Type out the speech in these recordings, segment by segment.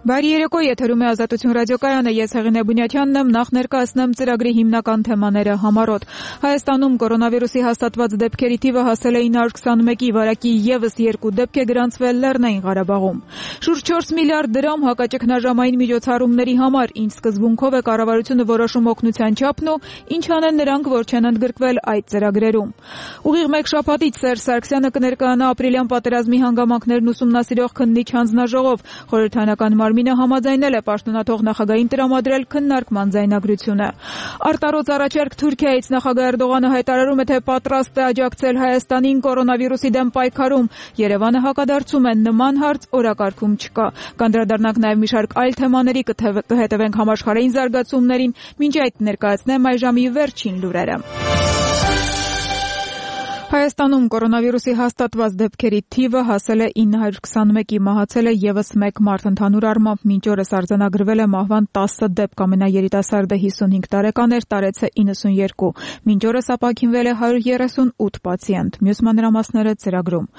Բարի երեկո, եթերում է Ազատություն ռադիոկայանը, ես Հեղինե Բունյաթյանն եմ, նախ ներկայացնեմ ծրագրի հիմնական թեմաները համառոտ։ Հայաստանում կորոնավիրուսի հաստատված դեպքերի թիվը հասել է 921-ի, վարակի ևս 2 դեպք է գրանցվել Լեռնային Ղարաբաղում։ Շուրջ 4 միլիարդ դրամ հակաճգնաժամային միջոցառումների համար, ինչ սկզբունքով է կառավարությունը որոշում օգնության չափն ու ինչ անեն նրանք, որ չեն ընդգրկվել այդ ծրագրերում։ Ուղիղ մեկ շաբաթից Սերժ Սարգսյանը կներկայանա ապրիլյան պատերազմի հանգամանքներն ուսումնասիրող քննիչ հանձնաժողով, խորհրդարանական մարմինը համաձայնել է պաշտոնաթող նախագահին տրամադրել քննարկման ձայնագրությունը։ Արտարոց առաջերկ Թուրքիայից նախագահ Էրդողանը հայտարարում է, թե պատրաստ է աջակցել Հայաստանին կորոնավիրուսի դեմ պայքարում։ Երևանը հակադարձում է, նման հարց օրակարգում չկա։ Կանդրադառնանք նաև մի շարք այլ թեմաների, կհետևենք համաշխարհային զարգացումներին, մինչ այդ ներկայացնեմ այժմի վերջին լուրերը։ Հայաստանում կորոնավիրուսի հաստատված դեպքերի թիվը հասել է 921-ի, մահացել է ևս 1 մարդ, ընդհանուր առմամբ մինչ օրս արձանագրվել է մահվան 10 դեպք, ամենաերիտասարդը 55 տարեկան էր, տարեցը 92, մինչ օրս ապաքինվել է 138 պացիենտ, մյուս մանրամասները ծրագրում։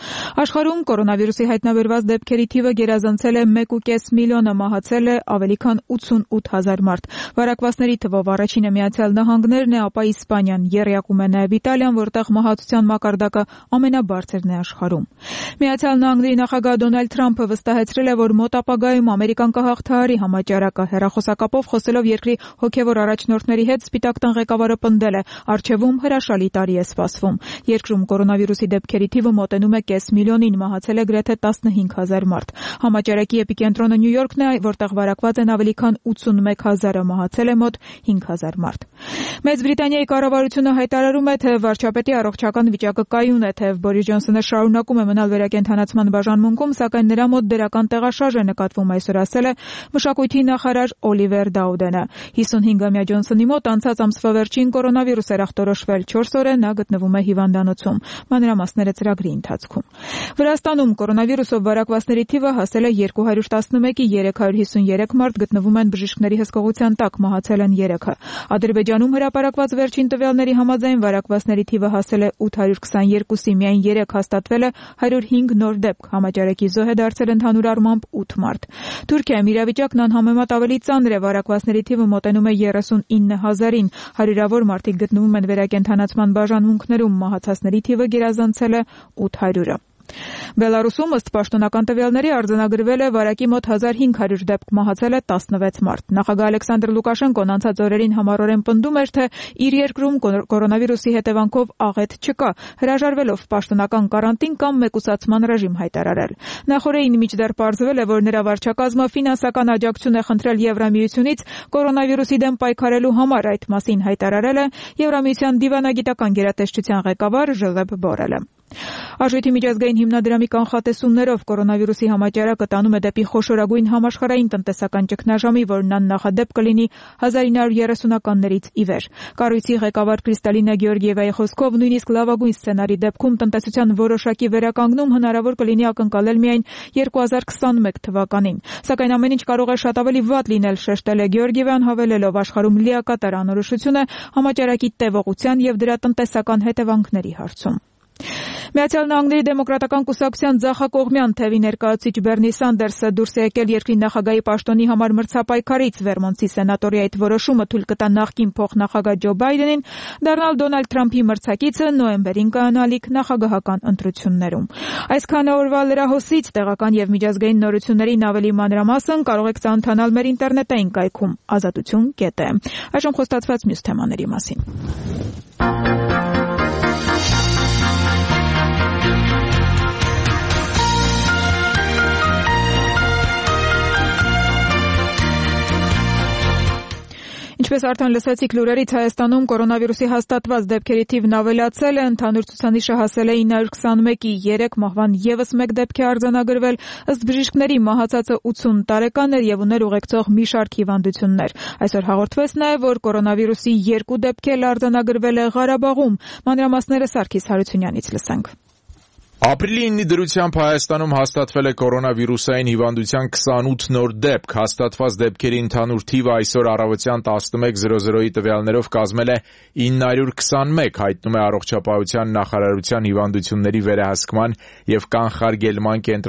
Աշխարհում կորոնավիրուսի հայտնաբերված դեպքերի թիվը գերազանցել է 1.5 միլիոնը, մահացել է ավելի քան 88,000 մարդ։ Վարակվածների թվով առաջինը Միացյալ Նահանգներն է, ապա Իսպանիան, եռյակում է նաև Իտալիան, որտեղ մահացության մակարդակը ամենաբարձրն է աշխարհում։ Միացյալ Նահանգների նախագահ Դոնալդ Թրամփը վստահեցրել է, որ մոտ ապագայում Ամերիկան կհաղթահարի համաճարակը։ Հեռախոսակապով խոսելով երկրի հոգևոր առաջնորդների հետ, Սպիտակ տան ղեկավարը պնդել է, առջևում հրաշալի տարի է սպասվում։ Երկրում կորոնավիրուսի դեպքերի թիվը մոտենում է կես միլիոնին, մահացել է գրեթե 15,000 մարդ։ Համաճարակի էպիկենտրոնը Նյու Յորքն է, որտեղ վարակված են ավելի քան 81,000-ը, մահացել է մոտ 5,000 մարդ։ Մեծ Բրիտանիայի կառավարությունը հայտարարում է, թե վարչապետի առողջական վիճակը կայուն է, թեև Բորիս Ջոնսոնը շարունակում է մնալ վերակենդանացման բաժանմունքում, սակայն նրա մոտ դրական տեղաշարժ է նկատվում, այսօր ասել է մշակույթի նախարար Օլիվեր Դաուդենը։ 55-ամյա Ջոնսոնի մոտ անցած ամսվա վերջին կորոնավիրուս էր ախտորոշվել, 4 օր է նա գտնվում է հիվանդանոցում։ Մանրամասները ծրագրի ընթացքում։ Վրաստանում կորոնավիրուսով վարակվածների թիվը հասել է 211-ի, 353 մարդ գտնվում են բժիշկների հսկողության տակ, մահացել են 3-ը։ Ադրբեջանում հրապարակված վերջին տվյալների համաձայն վարակվածների թիվը հասել է 822-ի, միայն 3 հաստատվել է 105 նոր դեպք, համաճարակի զոհ է դարձել ընդհանուր առմամբ 8 մարդ։ Թուրքիայում իրավիճակն անհամեմատ ավելի ծանր է, վարակվածների թիվը մոտենում է 39,000-ին, հարյուրավոր մարդիկ գտնվում են վերակենդանացման բաժանմունքներում, մահացածների թիվը գերազանցել է 800-ը։ Բելարուսում ըստ պաշտոնական տվյալների արձանագրվել է վարակի մոտ 1500 դեպք, մահացել է 16 մարդ։ Նախագահ Ալեքսանդր Լուկաշենկոն անցած օրերին համառորեն պնդում էր, թե իր երկրում կորոնավիրուսի հետևանքով աղետ չկա, հրաժարվելով պաշտոնական կարանտին կամ մեկուսացման ռեժիմ հայտարարել։ Նախորդին մինչդեռ պարզվել է, որ նրա վարչակազմը ֆինանսական աջակցություն է խնդրել Եվրամիությունից կորոնավիրուսի դեմ պայքարելու համար, այդ մասին հայտարարել է Եվրամիության դիվանագիտական գերատեսչության ղեկավար Ժոզեփ Բորելը։ Արժույթի միջազգային հիմնադրամի կանխատեսումներով կորոնավիրուսի համաճարակը տանում է դեպի խոշորագույն համաշխարհային տնտեսական ճգնաժամի, որն աննախադեպ կլինի 1930-ականներից ի վեր։ Կառույցի ղեկավար Կրիստալինա Գեորգիևայի խոսքով, նույնիսկ լավագույն սցենարի դեպքում տնտեսության որոշակի վերականգնում հնարավոր կլինի ակնկալել միայն 2021 թվականին։ Սակայն ամեն ինչ կարող է շատ ավելի վատ լինել, շեշտել է Գեորգիևան, հավելելով, աշխարհում լիակատար անորոշություն է համաճարակի տևողության եւ դրա տնտեսական հետևանքների հարցում։ Միացյալ Նահանգների դեմոկրատական կուսակցության ձախակողմյան թևի ներկայացուցիչ Բերնի Սանդերսը դուրս է եկել երկրի նախագահի պաշտոնի համար մրցապայքարից։ Վերմոնտի սենատորի այդ որոշումը թույլ կտա նախկին փոխնախագահ Ջո Բայդենին դառնալ Դոնալդ Թրամփի մրցակիցը նոյեմբերին կայանալիք նախագահական ընտրություններում։ Այսքանը օրվա լրահոսից, տեղական եւ միջազգային նորություններին ավելի մանրամասն կարող եք ծանոթանալ մեր ինտերնետային կայքում azatutun.am։ Այժմ խոստացված մյուս թեմաների մասին։ Ինչպես արդեն լսեցիք լուրերից, Հայաստանում կորոնավիրուսի հաստատված դեպքերի թիվն ավելացել է, ընդհանուր ցուցանիշը հասել է 921-ի, 3 մահվան ևս 1 դեպք է արձանագրվել, ըստ բժիշկների մահացածը 80 տարեկան էր եւ ուներ ուղեկցող մի շարք հիվանդություններ։ Այսօր հաղորդվեց նաեւ, որ կորոնավիրուսի 2 դեպք էլ արձանագրվել է Ղարաբաղում։ Մանրամասները Սարգիս Հարությունյանից լսենք։ Ապրիլի 9-ի դրությամբ Հայաստանում հաստատվել է կորոնավիրուսային հիվանդության 28 նոր դեպք։ Հաստատված դեպքերի ընդհանուր թիվը այսօր առավոտյան 11:00-ի տվյալներով կազմել է 921, հայտնում է Առողջապահության նախարարության հիվանդությունների վերահսկման եւ կանխարգելման կենտրոնի